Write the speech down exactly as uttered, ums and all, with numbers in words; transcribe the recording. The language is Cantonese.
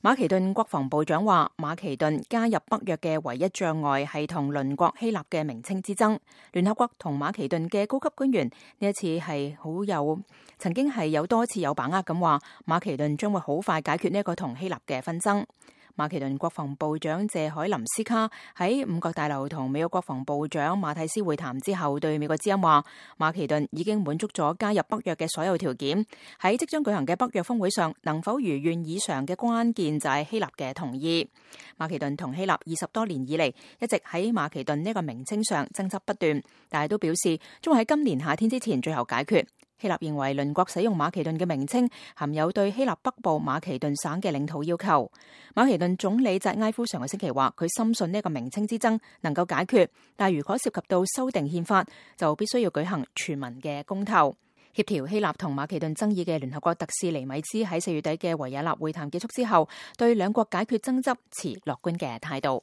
馬其頓國防部長話，馬其頓加入北約嘅唯一障礙係同鄰國希臘嘅名稱之爭。聯合國同馬其頓嘅高級官員呢一次係好有曾經係有多次有把握咁話，馬其頓將會好快解決呢一個同希臘嘅紛爭。馬其頓國防部長謝海林斯卡喺五角大樓同美國國防部長馬蒂斯會談之後，對美國之音話，馬其頓已經滿足咗加入北約嘅所有條件。喺即將舉行嘅北約峰會上，能否如願以償嘅關鍵就係希臘嘅同意。馬其頓同希臘二十多年以嚟一直喺馬其頓呢個名稱上爭執不斷，但係都表示將會喺今年夏天之前最後解決。希臘認為鄰國使用馬其頓嘅名稱含有對希臘北部馬其頓省嘅領土要求。馬其頓總理扎埃夫上個星期話，佢深信呢個名稱之爭能夠解決，但係如果涉及到修訂憲法，就必須要舉行全民嘅公投。協調希臘同馬其頓爭議嘅聯合國特使尼米茲喺四月底嘅維也納會談結束之後，對兩國解決爭執持樂觀嘅態度。